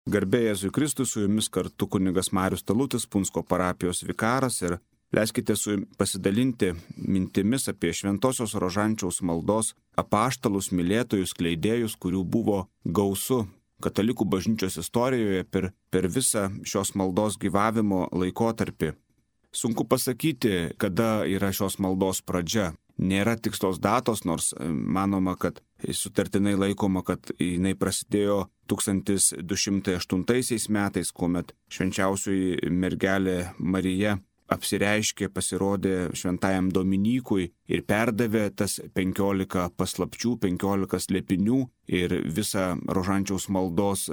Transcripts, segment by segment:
Garbė Jėzui Kristui, su jumis kartu kunigas Marius Talutis, Punsko parapijos vikaras, ir leiskite pasidalinti mintimis apie Šventosios Rožančiaus maldos apaštalus, mylėtojus, kleidėjus, kurių buvo gausu katalikų bažnyčios istorijoje per visą šios maldos gyvavimo laikotarpį. Sunku pasakyti, kada yra šios maldos pradžia. Nėra tikslios datos, nors manoma, kad sutartinai laikoma, kad jinai prasidėjo 1208 metais, kuomet švenčiausioji mergelė Marija apsireiškė, pasirodė šventajam Dominykui ir perdavė tas 15 paslapčių, 15 slėpinių ir visą Rožančiaus maldos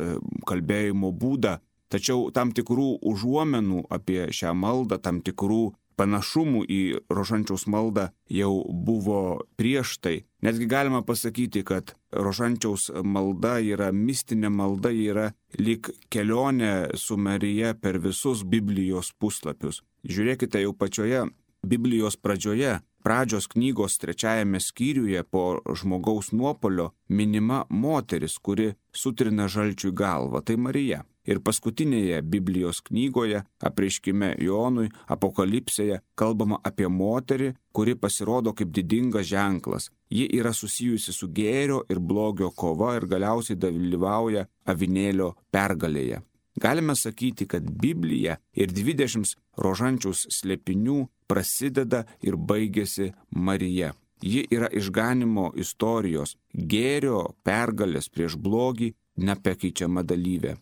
kalbėjimo būdą. Tačiau tam tikrų užuomenų apie šią maldą, tam tikrų panašumų į Rožančiaus maldą jau buvo prieš tai. Netgi galima pasakyti, kad Rožančiaus malda yra mistinė malda, yra lyg kelionė su Marija per visus Biblijos puslapius. Žiūrėkite, jau pačioje Biblijos pradžios knygos 3 skyriuje po žmogaus nuopuolio minima moteris, kuri sutrina žalčiui galvą, tai Marija. Ir paskutinėje Biblijos knygoje, apreiškime Jonui, Apokalipsėje, kalbama apie moterį, kuri pasirodo kaip didingas ženklas. Ji yra susijusi su gėrio ir blogio kova ir galiausiai dalyvauja avinėlio pergalėje. Galime sakyti, kad Biblija ir 20 Rožančiaus slėpinių prasideda ir baigėsi Marija. Ji yra išganimo istorijos, gėrio pergalės prieš blogį nepakeičiama dalyvė.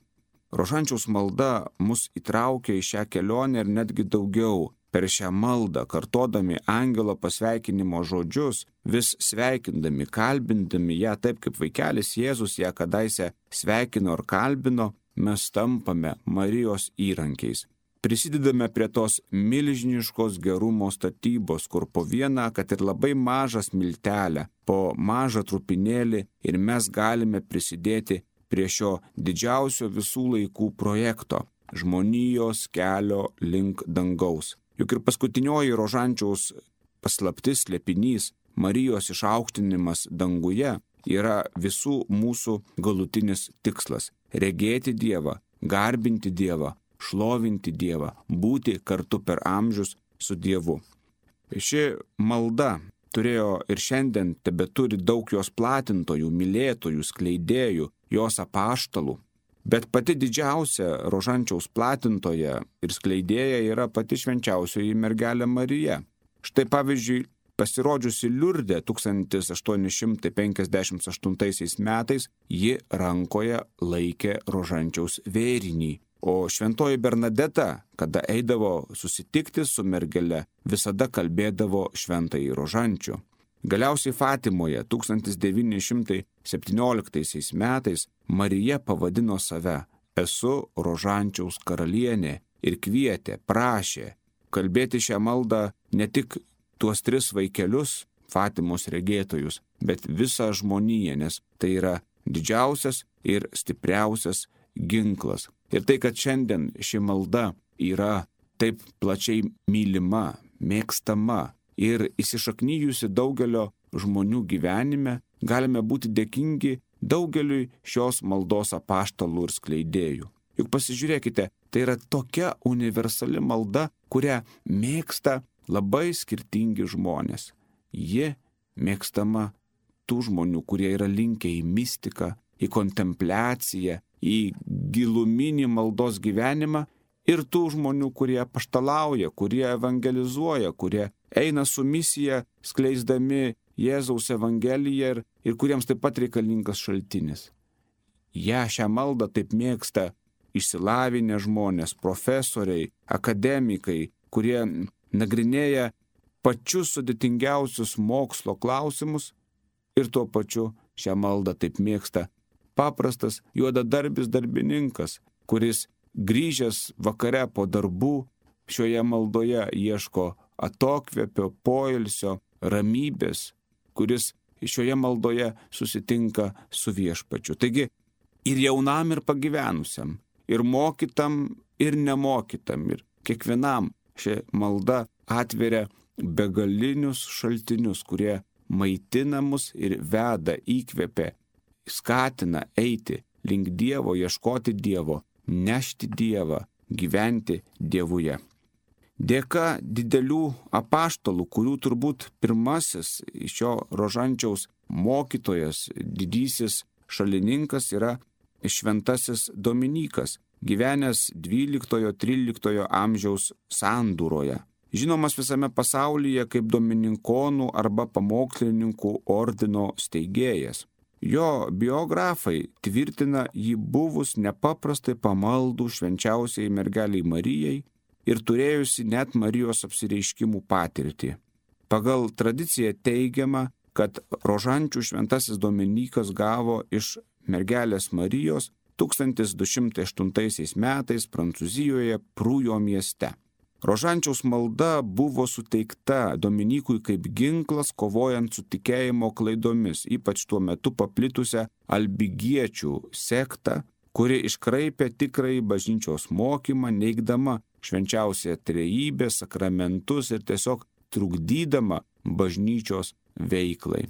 Rožančiaus malda mus įtraukia į šią kelionę ir netgi daugiau. Per šią maldą, kartodami angelo pasveikinimo žodžius, vis sveikindami, kalbindami ją taip, kaip vaikelis Jėzus ją kadaise sveikino ir kalbino, mes tampame Marijos įrankiais. Prisidedame prie tos milžiniškos gerumo statybos, kur po vieną, kad ir labai mažą smiltelę, po mažą trupinėlį ir mes galime prisidėti prie šio didžiausio visų laikų projekto – žmonijos kelio link dangaus. Juk ir paskutinioji Rožančiaus paslaptis, slėpinys, Marijos išaukštinimas danguje yra visų mūsų galutinis tikslas – regėti Dievą, garbinti Dievą, šlovinti Dievą, būti kartu per amžius su Dievu. Ši malda turėjo ir šiandien tebeturi daug jos platintojų, mylėtojų, skleidėjų, jos apaštalų. Bet pati didžiausia Rožančiaus platintoja ir skleidėja yra pati švenčiausioji mergelė Marija. Štai pavyzdžiui, pasirodžiusi Liurde 1858 metais, ji rankoje laikė Rožančiaus vėrinį. O šventoji Bernadeta, kada eidavo susitikti su mergele, visada kalbėdavo šventąjį Rožančių. Galiausiai Fatimoje 1917 metais Marija pavadino save "Esu Rožančiaus karalienė" ir kvietė, prašė kalbėti šią maldą ne tik tuos 3 vaikelius, Fatimos regėtojus, bet visą žmoniją, nes tai yra didžiausias ir stipriausias ginklas. Ir tai, kad šiandien ši malda yra taip plačiai mylima, mėgstama ir įsišaknyjusi daugelio žmonių gyvenime, galime būti dėkingi daugeliui šios maldos apaštalų ir skleidėjų. Juk pasižiūrėkite, tai yra tokia universali malda, kurią mėgsta labai skirtingi žmonės. Ji mėgstama tų žmonių, kurie yra linkę į mistiką, į kontempliaciją, į giluminį maldos gyvenimą ir tų žmonių, kurie apaštalauja, kurie evangelizuoja, kurie eina su misija skleisdami Jėzaus evangeliją ir kuriems taip pat reikalingas šaltinis. Šią maldą taip mėgsta išsilavinę žmonės, profesoriai, akademikai, kurie nagrinėja pačius sudėtingiausius mokslo klausimus ir tuo pačiu šią maldą taip mėgsta paprastas juodadarbis darbininkas, kuris grįžęs vakare po darbų šioje maldoje ieško atokvėpio, poilsio, ramybės, kuris šioje maldoje susitinka su Viešpačiu. Taigi ir jaunam, ir pagyvenusiam, ir mokytam, ir nemokytam, ir kiekvienam ši malda atveria begalinius šaltinius, kurie maitina mus ir veda, įkvepia, skatina eiti link Dievo, ieškoti Dievo, nešti Dievą, gyventi Dievuje. Dėka didelių apaštalų, kurių turbūt pirmasis šio rožančiaus mokytojas, didysis šalininkas yra šventasis Dominykas, gyvenęs 12-13 amžiaus sandūroje. Žinomas visame pasaulyje kaip dominikonų arba pamokslininkų ordino steigėjas. Jo biografai tvirtina jį buvus nepaprastai pamaldų švenčiausiai mergeliai Marijai ir turėjusi net Marijos apsireiškimų patirtį. Pagal tradiciją teigiama, kad rožančių šventasis Dominykas gavo iš mergelės Marijos 1208 metais Prancūzijoje Prūjo mieste. Rožančiaus malda buvo suteikta Dominykui kaip ginklas kovojant su tikėjimo klaidomis, ypač tuo metu paplitusią albigiečių sektą, kuri iškraipė tikrąjį bažnyčios mokymą, neigdama švenčiausią trejybę, sakramentus ir tiesiog trukdydama bažnyčios veiklai.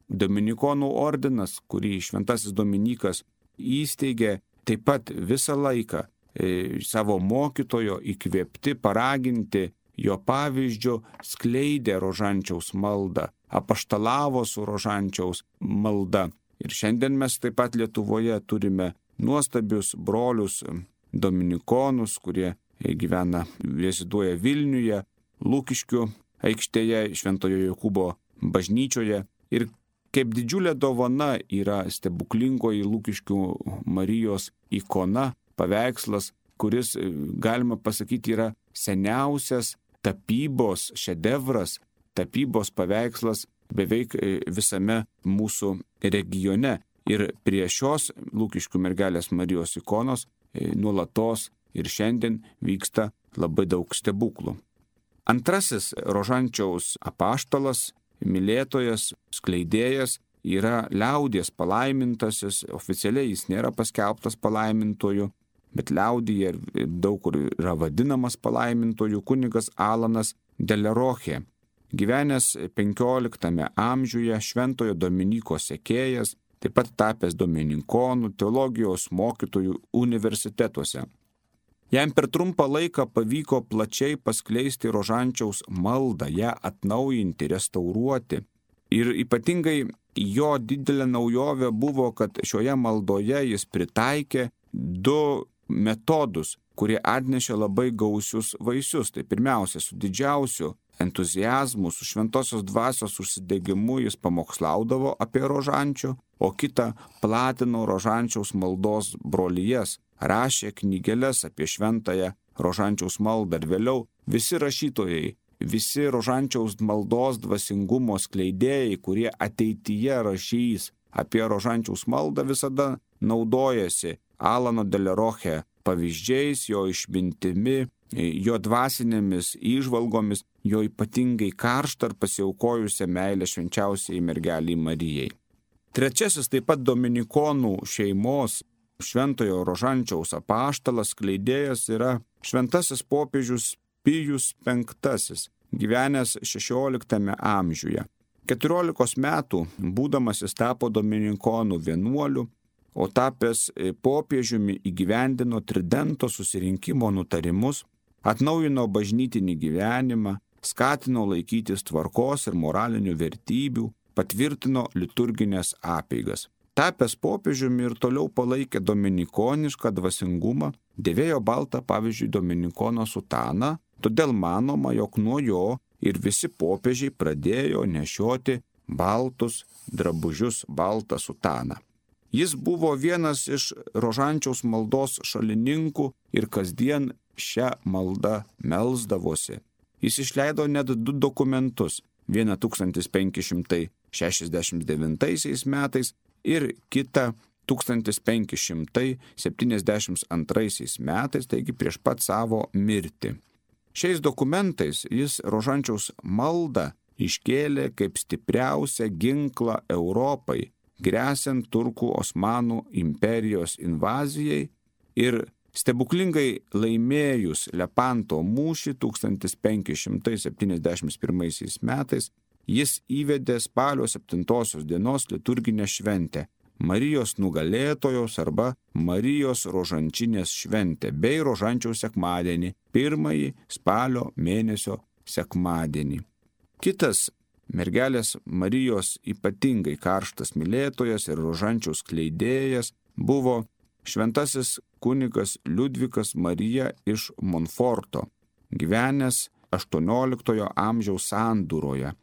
Dominikonų ordinas, kurį šventasis Dominykas įsteigė, taip pat visą laiką savo mokytojo įkvėpti, paraginti jo pavyzdžių, skleidė rožančiaus maldą, apaštalavo su rožančiaus malda. Ir šiandien mes taip pat Lietuvoje turime nuostabius brolius dominikonus, kurie gyvena, reziduoja Vilniuje, Lukiškių aikštėje, Šventojo Jokūbo bažnyčioje. Ir kaip didžiulė dovana yra stebuklingoji Lukiškių Marijos ikona, paveikslas, kuris, galima pasakyti, yra seniausias tapybos šedevras, tapybos paveikslas beveik visame mūsų regione. Ir prie šios Lukiškių mergelės Marijos ikonos nuolatos ir šiandien vyksta labai daug stebuklų. Antrasis rožančiaus apaštalas, mylėtojas, skleidėjas yra liaudies palaimintasis, oficialiai jis nėra paskelbtas palaimintoju, bet liaudyje daug kur yra vadinamas palaimintoju kunigas Alanas Deleroche, gyvenęs 15 amžiuje, šventojo Dominyko sekėjas, taip pat tapęs dominikonų, teologijos mokytojų universitetuose. Jam per trumpą laiką pavyko plačiai paskleisti rožančiaus maldą, ją atnaujinti, restauruoti. Ir ypatingai jo didelė naujovė buvo, kad šioje maldoje jis pritaikė du metodus, kurie atnešė labai gausius vaisius. Tai pirmiausia, su didžiausiu entuziazmu, su šventosios dvasios užsidegimu jis pamokslaudavo apie rožančių, o kitą platino rožančiaus maldos brolijas, rašė knygeles apie šventąją rožančiaus maldą ir vėliau visi rašytojai, visi rožančiaus maldos dvasingumo skleidėjai, kurie ateityje rašys apie rožančiaus maldą, visada naudojasi Alano Deleroche pavyzdžiais, jo išmintimi, jo dvasinėmis įžvalgomis, jo ypatingai karštą ir pasiaukojusią meilę švenčiausiai mergeliai Marijai. Trečiasis taip pat dominikonų šeimos šventojo rožančiaus apaštalas skleidėjas yra šventasis popiežius Pijus V, gyvenęs 16 amžiuje. 14 metų būdamas jis tapo dominikonų vienuoliu, o tapęs popiežiumi įgyvendino Tridento susirinkimo nutarimus, atnaujino bažnytinį gyvenimą, skatino laikytis tvarkos ir moralinių vertybių, patvirtino liturginės apeigas. Tapęs popiežiumi ir toliau palaikė dominikonišką dvasingumą, dėvėjo baltą, pavyzdžiui, dominikono sutaną, todėl manoma, jog nuo jo ir visi popiežiai pradėjo nešioti baltus drabužius, baltą sutaną. Jis buvo vienas iš rožančiaus maldos šalininkų ir kasdien šią maldą melsdavosi. Jis išleido net 2 dokumentus, vieną 1569 metais ir kitą 1572 metais, taigi prieš pat savo mirtį. Šiais dokumentais jis rožančiaus maldą iškėlė kaip stipriausią ginklą Europai, gresiant turkų Osmanų imperijos invazijai ir stebuklingai laimėjus Lepanto mūšį 1571 metais, jis įvedė spalio 7 dienos liturginę šventę Marijos nugalėtojos arba Marijos rožančinės šventę bei rožančiaus sekmadienį, pirmąjį spalio mėnesio sekmadienį. Kitas mergelės Marijos ypatingai karštas mylėtojas ir rožančiaus skleidėjas buvo šventasis kunigas Liudvikas Marija iš Monforto, gyvenęs 18 amžiaus sandūroje.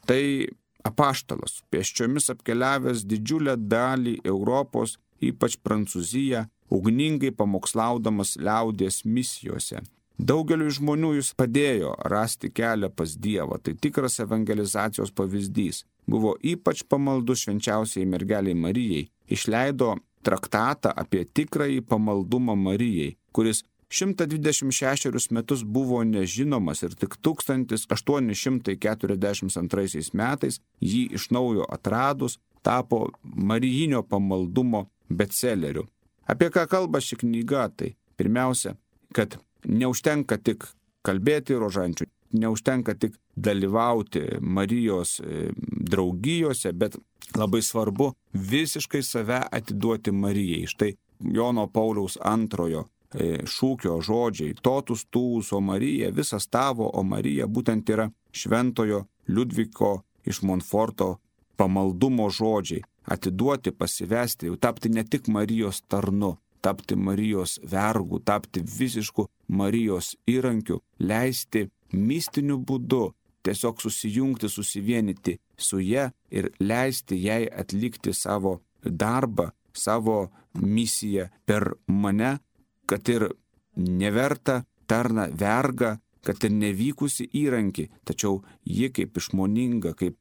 Tai apaštalas, pėsčiomis apkeliavęs didžiulę dalį Europos, ypač Prancūziją, ugningai pamokslaudamas liaudies misijose. Daugeliui žmonių jis padėjo rasti kelią pas Dievą, tai tikras evangelizacijos pavyzdys. Buvo ypač pamaldus švenčiausiai mergeliai Marijai, išleido traktatą apie tikrąjį pamaldumą Marijai, kuris 126 metus buvo nežinomas ir tik 1842 metais jį iš naujo atradus tapo marijinio pamaldumo bestseleriu. Apie ką kalba ši knyga? Tai pirmiausia, kad neužtenka tik kalbėti rožančių, neužtenka tik dalyvauti Marijos draugijose, bet labai svarbu visiškai save atiduoti Marijai. Štai Jono Pauliaus II šūkio žodžiai totus tuus, o Marija, visas tavo, o Marija būtent yra šventojo Liudviko iš Monforto pamaldumo žodžiai. Atiduoti, pasivesti, tapti ne tik Marijos tarnu, tapti Marijos vergu, tapti visišku Marijos įrankiu, leisti mistiniu būdu tiesiog susijungti, susivienyti su ja ir leisti jai atlikti savo darbą, savo misiją per mane, kad ir neverta tarna verga, kad ir nevykusi įrankį, tačiau ji kaip išmoninga, kaip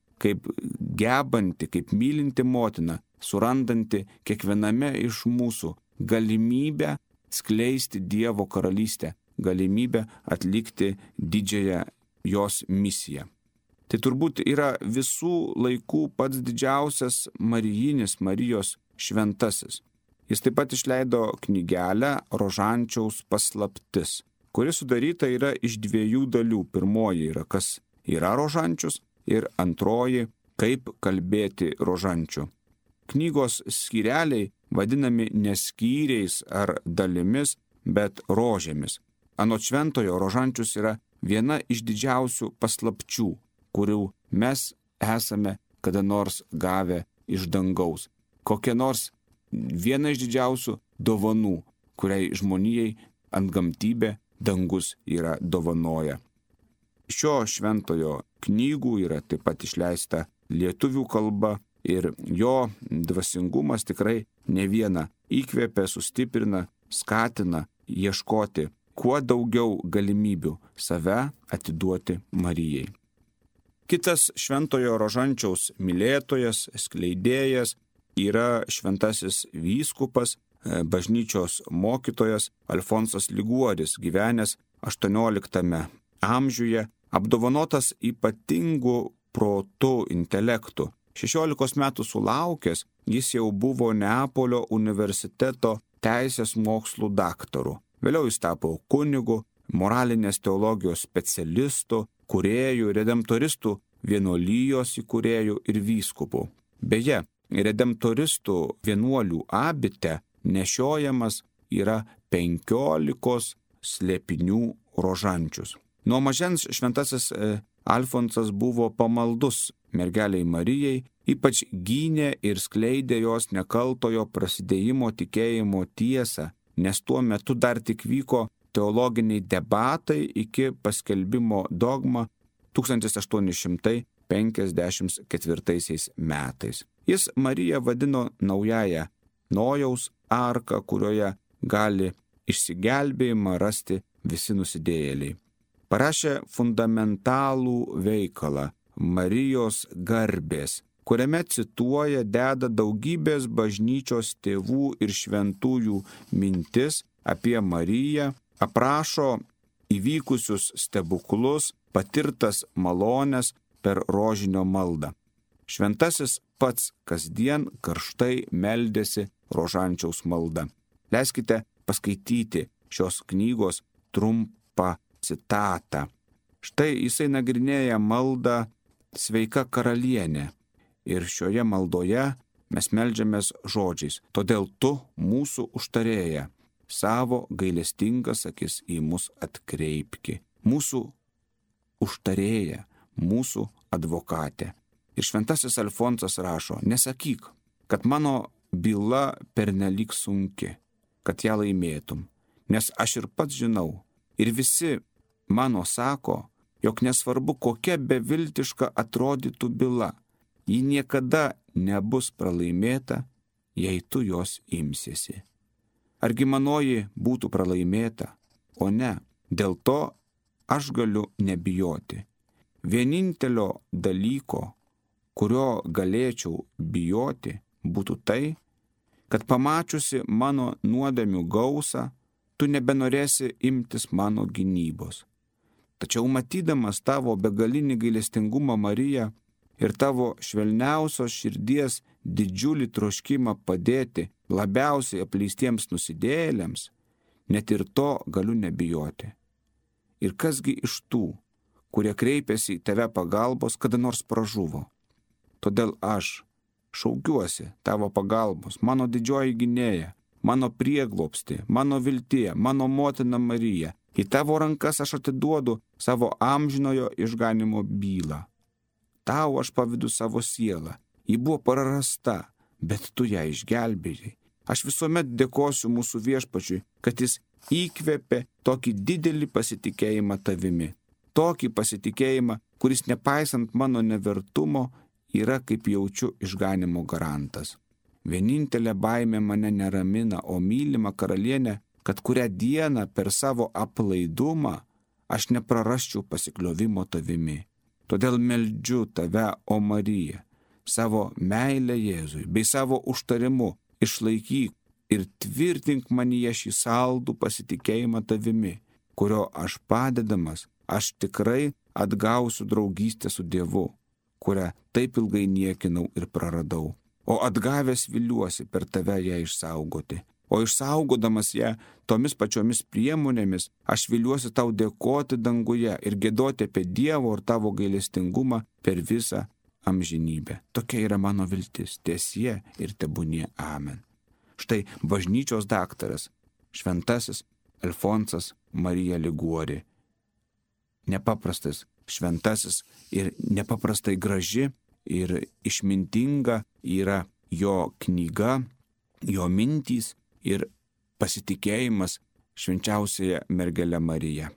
gebanti, kaip mylinti motina, surandanti kiekviename iš mūsų galimybę skleisti Dievo karalystę, galimybę atlikti didžiąją jos misiją. Tai turbūt yra visų laikų pats didžiausias marijinis Marijos šventasis. Jis taip pat išleido knygelę Rožančiaus paslaptis, kuri sudaryta yra iš 2 dalių. Pirmoji yra, kas yra rožančius, ir antroji, kaip kalbėti rožančių. Knygos skyreliai vadinami ne skyriais ar dalimis, bet rožėmis. Anot šventojo, rožančius yra viena iš didžiausių paslapčių, kurių mes esame kada nors gavę iš dangaus. Kokia nors viena iš didžiausių dovanų, kuriai žmonijai antgamtybė dangus yra dovanoja. Šio šventojo knygų yra taip pat išleista lietuvių kalba ir jo dvasingumas tikrai ne vieną įkvepia, sustiprina, skatina ieškoti kuo daugiau galimybių save atiduoti Marijai. Kitas šventojo rožančiaus mylėtojas, skleidėjas yra šventasis vyskupas, bažnyčios mokytojas Alfonsas Liguoris, gyvenęs 18 amžiuje, apdovanotas ypatingu protu, intelektu. 16 metų sulaukęs, jis jau buvo Neapolio universiteto teisės mokslų daktaru. Vėliau jis tapo kunigu, moralinės teologijos specialistu, kūrėjų, redemptoristų vienuolijos įkūrėjų ir vyskupų. Beje, redemptoristų vienuolių abite nešiojamas yra 15 slėpinių rožančius. Nuo mažens šventasis Alfonsas buvo pamaldus mergeliai Marijai, ypač gynė ir skleidė jos nekaltojo prasidėjimo tikėjimo tiesą, nes tuo metu dar tik vyko teologiniai debatai iki paskelbimo dogma 1854 metais. Jis Mariją vadino naująją Nojaus arką, kurioje gali išsigelbėjimą rasti visi nusidėjėliai. Parašė fundamentalų veikalą Marijos garbės, kuriame cituoja, deda daugybės bažnyčios tėvų ir šventųjų mintis apie Mariją, aprašo įvykusius stebuklus, patirtas malones per rožinio maldą. Šventasis pats kasdien karštai meldėsi rožančiaus malda. Leiskite paskaityti šios knygos trumpą citatą. Štai jisai nagrinėja maldą Sveika karalienė ir šioje maldoje mes meldžiamės žodžiais. Todėl tu, mūsų užtarėja, savo gailestingas akis į mus atkreipki. Mūsų užtarėja, mūsų advokatė. Ir šventasis Alfonsas rašo, nesakyk, kad mano byla pernelyg sunki, kad ją laimėtum, nes aš ir pats žinau, ir visi mano sako, jog nesvarbu, kokia beviltiška atrodytų byla, ji niekada nebus pralaimėta, jei tu jos imsiesi. Argi manoji būtų pralaimėta, o ne, dėl to aš galiu nebijoti. Vienintelio dalyko, kurio galėčiau bijoti, būtų tai, kad pamačiusi mano nuodėmių gausą, tu nebenorėsi imtis mano gynybos. Tačiau matydamas tavo begalinį gailestingumą, Marija, ir tavo švelniausios širdies didžiulį troškimą padėti labiausiai apleistiems nusidėjėliams, net ir to galiu nebijoti. Ir kasgi iš tų, kurie kreipėsi į tave pagalbos, kada nors pražuvo? Todėl aš šaukiuosi tavo pagalbos, mano didžioji gynėja, mano prieglobsti, mano viltie, mano motina Marija. Į tavo rankas aš atiduodu savo amžinojo išganimo bylą. Tau aš pavydu savo sielą. Ji buvo prarasta, bet tu ją išgelbėjai. Aš visuomet dėkosiu mūsų viešpačiui, kad jis įkvėpė tokį didelį pasitikėjimą tavimi. Tokį pasitikėjimą, kuris nepaisant mano nevertumo, yra, kaip jaučiu, išganimo garantas. Vienintelė baimė mane neramina, o mylima karalienė, kad kurią dieną per savo aplaidumą aš neprarasčiau pasikliovimo tavimi. Todėl meldžiu tave, o Marija, savo meilę Jėzui bei savo užtarimu išlaikyk ir tvirtink manyje šį saldų pasitikėjimą tavimi, kurio aš padedamas, aš tikrai atgausiu draugystę su Dievu, kurią taip ilgai niekinau ir praradau. O atgavęs viliuosi per tave ją išsaugoti. O išsaugodamas ją tomis pačiomis priemonėmis, aš viliuosi tau dėkoti danguje ir giedoti apie Dievo ir tavo gailestingumą per visą amžinybę. Tokia yra mano viltis, tiesie ir tebūnie. Amen. Štai bažnyčios daktaras, šventasis Alfonsas Marija Liguori. Nepaprastas šventasis ir nepaprastai graži ir išmintinga yra jo knyga, jo mintys ir pasitikėjimas švenčiausiąją mergelę Mariją.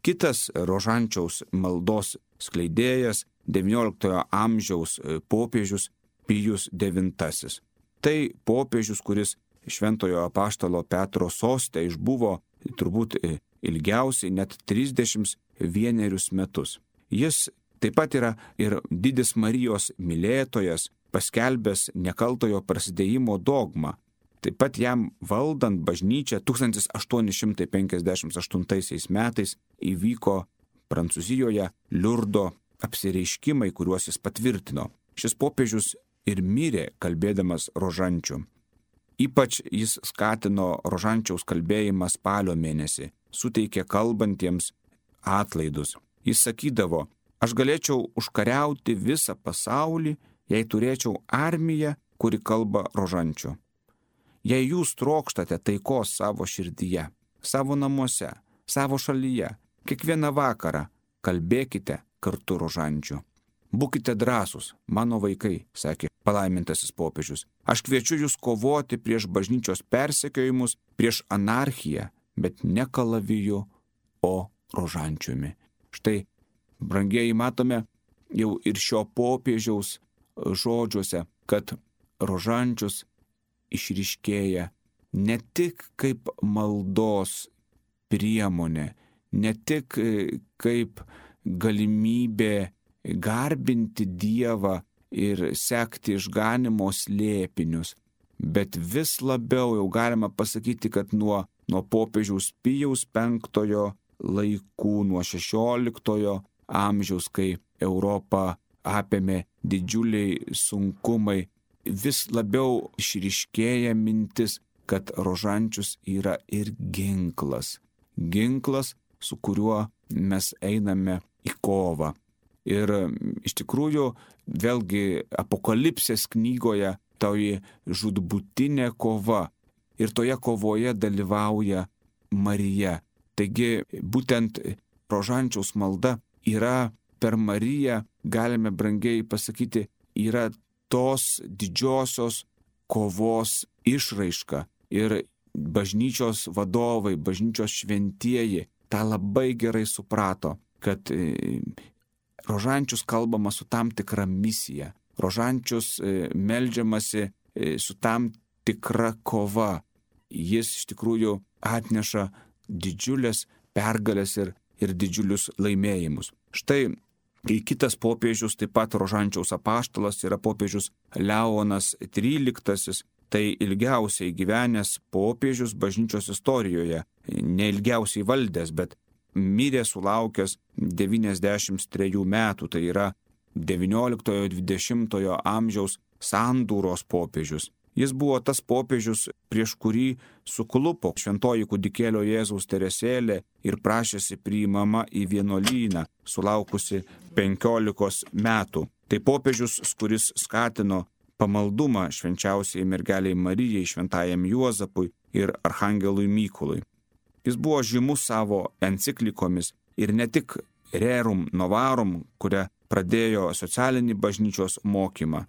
Kitas rožančiaus maldos skleidėjas, XIX amžiaus popiežius Pijus IX. Tai popiežius, kuris šventojo apaštalo Petro soste išbuvo turbūt ilgiausiai net 31 metus. Jis taip pat yra ir didis Marijos mylėtojas, paskelbęs nekaltojo prasidėjimo dogmą. Taip pat jam valdant bažnyčią 1858 metais įvyko Prancūzijoje Liurdo apsireiškimai, kuriuos jis patvirtino. Šis popiežius ir mirė kalbėdamas rožančių. Ypač jis skatino rožančiaus kalbėjimą spalio mėnesį, suteikė kalbantiems atlaidus. Jis sakydavo, aš galėčiau užkariauti visą pasaulį, jei turėčiau armiją, kuri kalba rožančių. Jei jūs trokštate taikos savo širdyje, savo namuose, savo šalyje, kiekvieną vakarą kalbėkite kartu rožančių. Būkite drąsūs, mano vaikai, sakė palaimintasis popiežius. Aš kviečiu jūs kovoti prieš bažnyčios persekiojimus, prieš anarchiją, bet ne kalaviju, o rožančiumi. Štai, brangieji, matome jau ir šio popiežiaus žodžiuose, kad rožančius išryškėja ne tik kaip maldos priemonė, ne tik kaip galimybė garbinti Dievą ir sekti išganimo slėpinius, bet vis labiau jau galima pasakyti, kad nuo popiežiaus Pijaus V laikų, nuo XVI amžiaus, kai Europą apėmė didžiuliai sunkumai, vis labiau išryškėja mintis, kad rožančius yra ir ginklas. Ginklas, su kuriuo mes einame į kovą. Ir iš tikrųjų, vėlgi Apokalipsės knygoje toji žudbutinė kova. Ir toje kovoje dalyvauja Marija. Taigi būtent Rožančiaus malda yra per Mariją, galime brangiai pasakyti, yra tos didžiosios kovos išraiška. Ir bažnyčios vadovai, bažnyčios šventieji tą labai gerai suprato, kad Rožančius kalbama su tam tikra misija. Rožančius meldžiamasi su tam tikra kova. Jis iš tikrųjų atneša didžiulės pergalės ir didžiulius laimėjimus. Štai kitas popiežius, taip pat Rožančiaus apaštalas, yra popiežius Leonas XIII. Tai ilgiausiai gyvenęs popiežius bažnyčios istorijoje, ne ilgiausiai valdęs, bet mirė sulaukęs 93 metų, tai yra XIX-XX amžiaus sandūros popiežius. Jis buvo tas popiežius, prieš kurį suklupo šventoji kūdikėlio Jėzaus Teresėlė ir prašėsi priimama į vienuolyną, sulaukusi 15 metų. Tai popiežius, kuris skatino pamaldumą švenčiausiai mergeliai Marijai, šventajam Juozapui ir archangelui Mykolui. Jis buvo žymus savo enciklikomis ir ne tik Rerum Novarum, kuria pradėjo socialinį bažnyčios mokymą.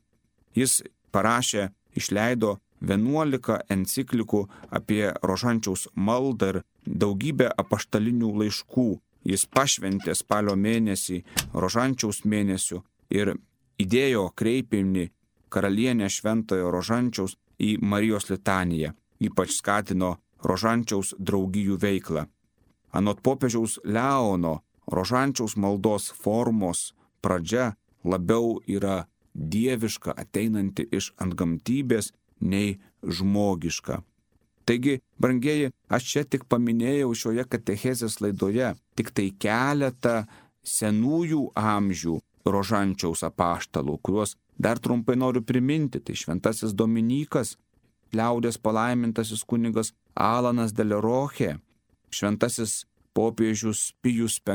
Jis parašė, išleido 11 enciklikų apie Rožančiaus maldą ir daugybę apaštalinių laiškų. Jis pašventė spalio mėnesį Rožančiaus mėnesiu ir įdėjo kreipinį karalienę Šventojo Rožančiaus į Marijos litaniją, ypač skatino Rožančiaus draugijų veiklą. Anot popiežiaus Leono, Rožančiaus maldos formos pradžia labiau yra dieviška, ateinanti iš antgamtybės, nei žmogiška. Taigi, brangieji, aš čia tik paminėjau šioje katechezės laidoje tik tai keletą senųjų amžių Rožančiaus apaštalų, kuriuos dar trumpai noriu priminti. Tai šventasis Dominykas, liaudės palaimintasis kunigas Alanas de Leroche, šventasis popiežius Pijus V,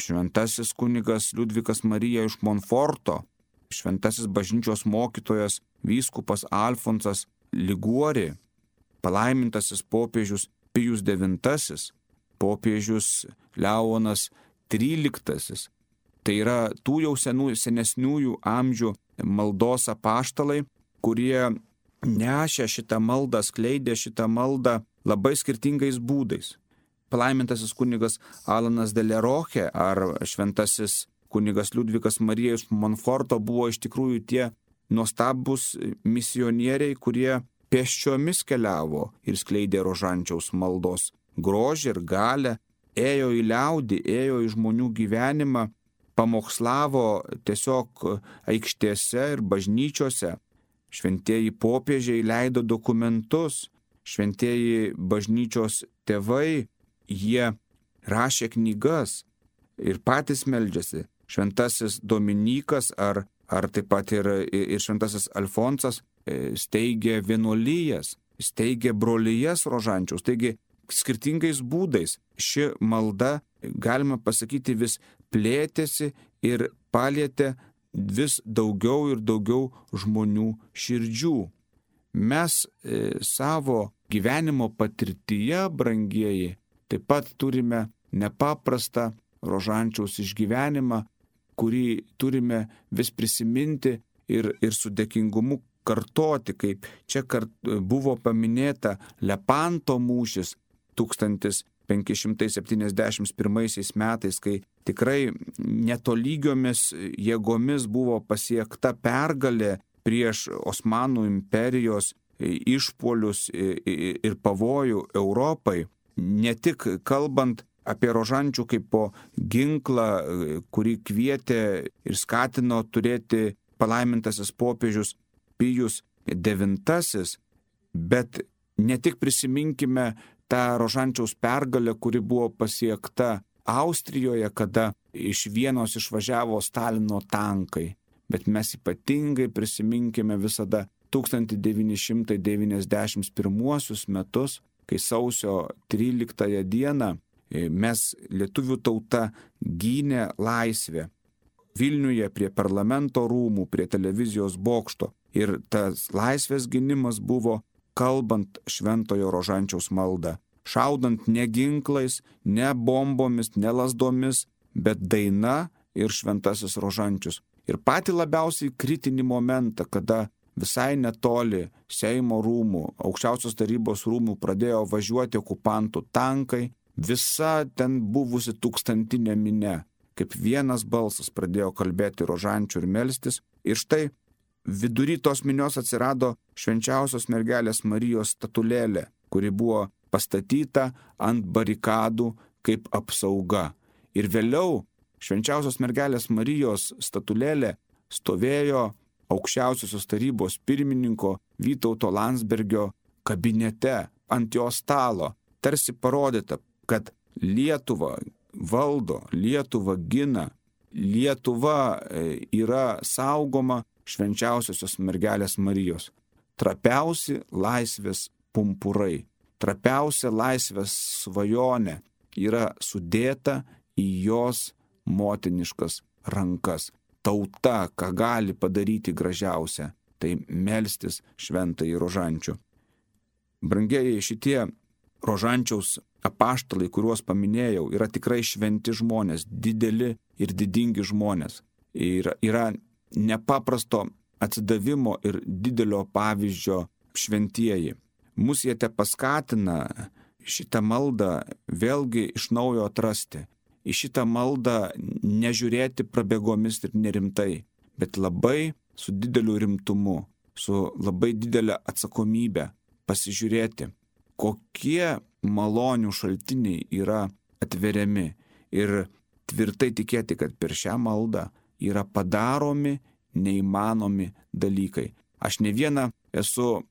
šventasis kunigas Liudvikas Marija iš Monforto, šventasis bažnyčios mokytojas vyskupas Alfonsas Liguori, palaimintasis popiežius Pijus IX, popiežius Leonas XIII. Tai yra tų jau senesniųjų amžių maldos apaštalai, kurie nešė šitą maldą, skleidė šitą maldą labai skirtingais būdais. Palaimintasis kunigas Alanas de Leroche ar šventasis kunigas Liudvikas Marija iš Monforto buvo iš tikrųjų tie nuostabus misionieriai, kurie pėsčiomis keliavo ir skleidė Rožančiaus maldos grožį ir galę, ėjo į liaudį, ėjo į žmonių gyvenimą, pamokslavo tiesiog aikštėse ir bažnyčiose. Šventieji popiežiai leido dokumentus, šventieji bažnyčios tėvai, jie rašė knygas ir patys meldžiasi. Šventasis Dominykas ar taip pat ir šventasis Alfonsas steigė vienuolijas, steigė brolijas Rožančiaus. Taigi skirtingais būdais ši malda, galima pasakyti, vis plėtėsi ir palietė vis daugiau ir daugiau žmonių širdžių. Mes savo gyvenimo patirtyje, brangieji, taip pat turime nepaprastą Rožančiaus išgyvenimą, kurį turime vis prisiminti ir su dėkingumu kartoti, kaip čia buvo paminėta Lepanto mūšis 1571 metais, kai tikrai netolygiomis jėgomis buvo pasiekta pergalė prieš Osmanų imperijos išpuolius ir pavojų Europai. Ne tik kalbant apie Rožančių kaip po ginklą, kurį kvietė ir skatino turėti palaimintasis popiežius Pijus IX, bet ne tik prisiminkime tą Rožančiaus pergalę, kuri buvo pasiekta Austrijoje, kada iš Vienos išvažiavo Stalino tankai, bet mes ypatingai prisiminkime visada 1991 metus, kai sausio 13 dieną mes lietuvių tauta gynė laisvę. Vilniuje prie parlamento rūmų, prie televizijos bokšto Ir tas laisvės gynimas buvo kalbant šventojo rožančiaus maldą, šaudant ne ginklais, ne bombomis, ne lasdomis, bet daina ir šventasis rožančius. Ir patį labiausiai kritinį momentą, kada visai netoli Seimo rūmų, aukščiausios tarybos rūmų pradėjo važiuoti okupantų tankai, visa ten buvusi tūkstantinė minia, kaip vienas balsas pradėjo kalbėti rožančių ir melstis. Ir štai vidury tos minios atsirado švenčiausios mergelės Marijos statulėlė, kuri buvo pastatyta ant barikadų kaip apsauga. Ir vėliau švenčiausios mergelės Marijos statulėlė stovėjo aukščiausiosios tarybos pirmininko Vytauto Landsbergio kabinete ant jo stalo, tarsi parodyta, kad Lietuva valdo, Lietuva gina, Lietuva yra saugoma švenčiausiosios mergelės Marijos. Trapiausi laisvės pumpurai, trapiausia laisvės svajonė yra sudėta į jos motiniškas rankas. Tauta, ką gali padaryti gražiausia, tai melstis šventąjį rožančių. Brangieji, šitie rožančiaus apaštalai, kuriuos paminėjau, yra tikrai šventi žmonės, dideli ir didingi žmonės. Ir yra nepaprasto atsidavimo ir didelio pavyzdžio šventieji. Mūsų jie te paskatina šitą maldą vėlgi iš naujo atrasti. Į šitą maldą nežiūrėti prabėgomis ir nerimtai, bet labai su dideliu rimtumu, su labai didelė atsakomybė pasižiūrėti, kokie malonių šaltiniai yra atveriami ir tvirtai tikėti, kad per šią maldą yra padaromi neįmanomi dalykai. Aš ne vieną esu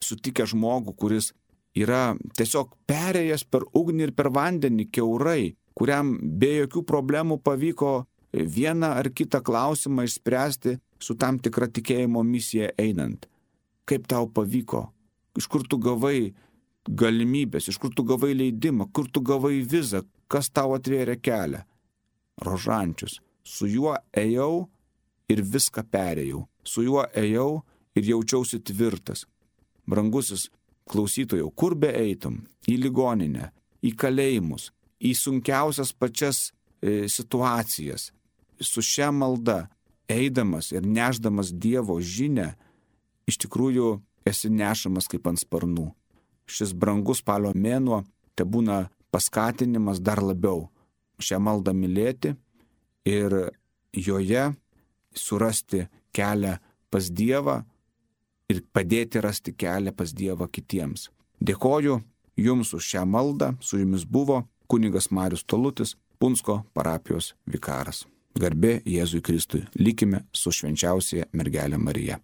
sutikęs žmogų, kuris yra tiesiog perėjęs per ugnį ir per vandenį kiaurai, kuriam be jokių problemų pavyko vieną ar kitą klausimą išspręsti su tam tikra tikėjimo misija einant. Kaip tau pavyko? Iš kur tu gavai galimybės, iš kur tu gavai leidimą, kur tu gavai vizą, kas tau atvėrė kelią? Rožančius. Su juo ėjau ir viską perėjau. Su juo ėjau ir jaučiausi tvirtas. Brangusis klausytojau, kur be eitum? Į ligoninę, į kalėjimus, į sunkiausias pačias situacijas. Su šia malda, eidamas ir nešdamas Dievo žinią, iš tikrųjų esi nešamas kaip ant sparnų. Šis brangus spalio mėnuo te būna paskatinimas dar labiau šią maldą mylėti ir joje surasti kelią pas Dievą ir padėti rasti kelią pas Dievą kitiems. Dėkoju Jums už šią maldą, su Jumis buvo kunigas Marius Tolutis, Punsko parapijos vikaras. Garbė Jėzui Kristui, likime su švenčiausiaja mergelė Marija.